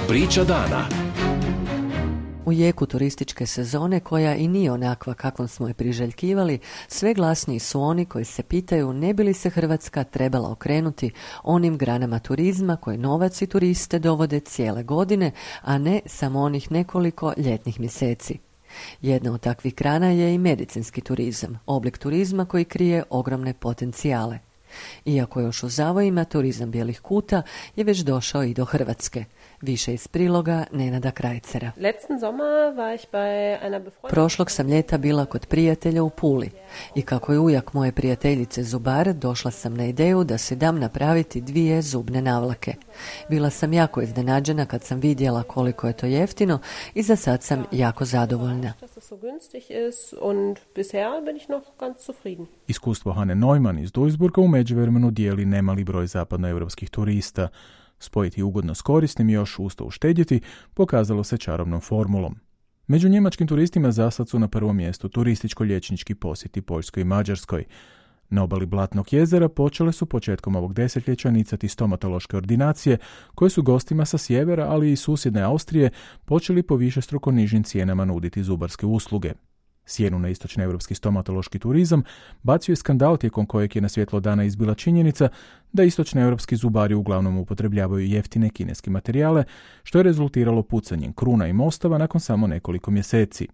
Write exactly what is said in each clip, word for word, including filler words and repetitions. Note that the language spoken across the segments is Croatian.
Priča dana. U jeku turističke sezone, koja i nije onakva kakvom smo je priželjkivali, sve glasniji su oni koji se pitaju ne bi li se Hrvatska trebala okrenuti onim granama turizma koje novac i turiste dovode cijele godine, a ne samo onih nekoliko ljetnih mjeseci. Jedna od takvih grana je i medicinski turizam, oblik turizma koji krije ogromne potencijale. Iako još u zavojima, turizam bijelih kuta je već došao i do Hrvatske. Više iz priloga Nenada Krajcera. Prošlog sam ljeta bila kod prijatelja u Puli i kako je ujak moje prijateljice zubar, došla sam na ideju da si dam napraviti dvije zubne navlake. Bila sam jako iznenađena kad sam vidjela koliko je to jeftino i za sad sam jako zadovoljna. Iskustvo Hane Neumann iz Duisburga u međuvremenu dijeli nemali broj zapadnoevropskih turista. Spojiti ugodno s korisnim i još usto uštedjeti pokazalo se čarobnom formulom. Među njemačkim turistima zasad su na prvom mjestu turističko-liječnički posjeti Poljskoj i Mađarskoj. Na obali Blatnog jezera počele su početkom ovog desetljeća nicati stomatološke ordinacije koje su gostima sa sjevera, ali i susjedne Austrije, počeli po višestruko nižim cijenama nuditi zubarske usluge. Sjenu na istočnoevropski stomatološki turizam bacio je skandal tijekom kojeg je na svjetlo dana izbila činjenica da istočnoevropski zubari uglavnom upotrebljavaju jeftine kineske materijale, što je rezultiralo pucanjem kruna i mostova nakon samo nekoliko mjeseci.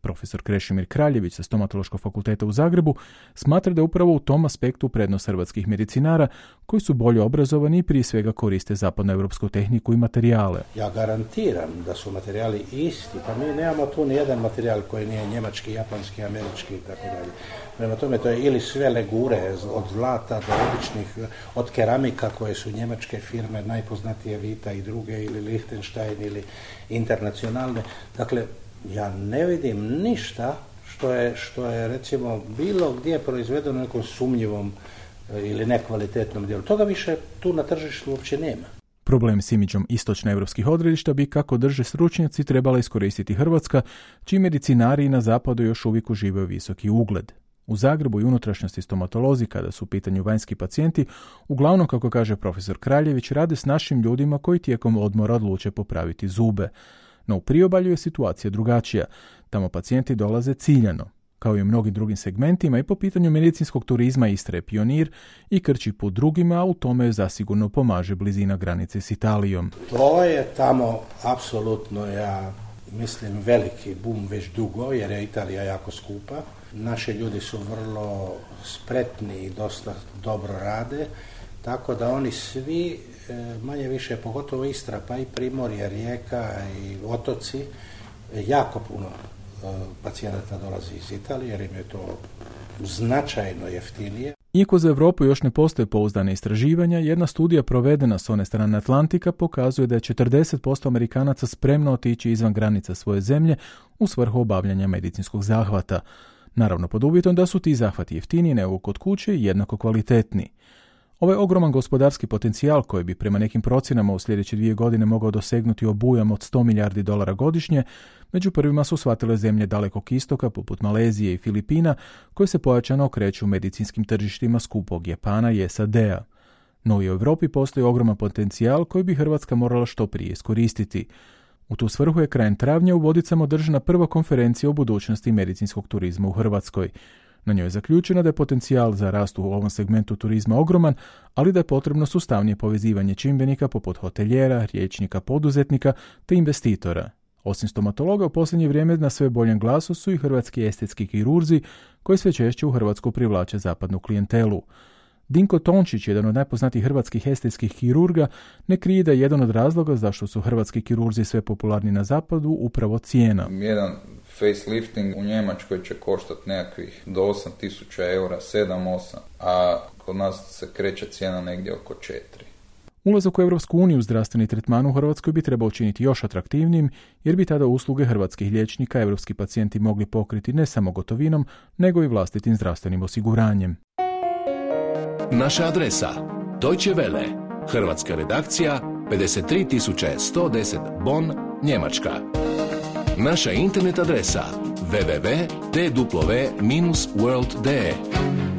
Profesor Krešimir Kraljević sa Stomatološkog fakulteta u Zagrebu smatra da je upravo u tom aspektu prednost hrvatskih medicinara koji su bolje obrazovani i prije svega koriste zapadnoevropsku tehniku i materijale. Ja garantiram da su materijali isti, pa mi nemamo tu ni jedan materijal koji nije njemački, japanski, američki i tako dalje. Prema tome to je ili sve legure od zlata do običnih, od keramika koje su njemačke firme, najpoznatije Vita i druge, ili Liechtenstein ili internacionalne. Dakle, ja ne vidim ništa što je, što je recimo bilo gdje proizvedeno u nekom sumnjivom ili nekvalitetnom dijelu. Toga više tu na tržištu uopće nema. Problem s imidžom istočnoevropskih odredišta bi, kako drže stručnjaci, trebala iskoristiti Hrvatska, čiji medicinari na zapadu još uvijek uživaju visoki ugled. U Zagrebu i unutrašnjosti stomatolozi, kada su u pitanju vanjski pacijenti, uglavnom, kako kaže profesor Kraljević, rade s našim ljudima koji tijekom odmora odluče popraviti zube. No u priobalju je situacija drugačija. Tamo pacijenti dolaze ciljano. Kao i u mnogim drugim segmentima i po pitanju medicinskog turizma Istra je pionir i krči put drugima, a u tome zasigurno pomaže blizina granice s Italijom. To je tamo apsolutno, ja mislim, veliki bum već dugo, jer je Italija jako skupa. Naši ljudi su vrlo spretni i dosta dobro rade, tako da oni svi manje više, pogotovo Istra, pa i Primorje, Rijeka i otoci, jako puno pacijenata dolazi iz Italije jer im je to značajno jeftinije. Iako za Europu još ne postoje pouzdane istraživanja, jedna studija provedena s one strane Atlantika pokazuje da je četrdeset posto Amerikanaca spremno otići izvan granica svoje zemlje u svrhu obavljanja medicinskog zahvata. Naravno pod uvjetom da su ti zahvati jeftiniji nego kod kuće i jednako kvalitetni. Ovaj ogroman gospodarski potencijal koji bi prema nekim procjenama u sljedeće dvije godine mogao dosegnuti obujam od sto milijardi dolara godišnje, među prvima su shvatile zemlje Dalekog istoka poput Malezije i Filipina, koje se pojačano okreću medicinskim tržištima skupog Japana i S A D-a. No i u Europi postoji ogroman potencijal koji bi Hrvatska morala što prije iskoristiti. U tu svrhu je krajem travnja u Vodicama održana prva konferencija o budućnosti medicinskog turizma u Hrvatskoj. Na njoj je zaključeno da je potencijal za rast u ovom segmentu turizma ogroman, ali da je potrebno sustavnije povezivanje čimbenika poput hotelijera, liječnika, poduzetnika te investitora. Osim stomatologa, u posljednje vrijeme na sve boljem glasu su i hrvatski estetski kirurzi koji sve češće u Hrvatsku privlače zapadnu klijentelu. Dinko Tončić, jedan od najpoznatijih hrvatskih estetskih kirurga, ne krije da je jedan od razloga zašto su hrvatski kirurzi sve popularni na zapadu upravo cijena. Jedan facelifting u Njemačkoj će koštati nekakvih do osam tisuća eura, sedam osam, a kod nas se kreće cijena negdje oko četiri. Ulazak u Europsku uniju zdravstveni tretman u Hrvatskoj bi trebao učiniti još atraktivnijim, jer bi tada usluge hrvatskih liječnika europski pacijenti mogli pokriti ne samo gotovinom, nego i vlastitim zdravstvenim osiguranjem. Naša adresa: Deutsche Welle, hrvatska redakcija, pedeset tri tisuće sto deset Bonn, Njemačka. Naša internet adresa: w w w tačka d w dash world dash d e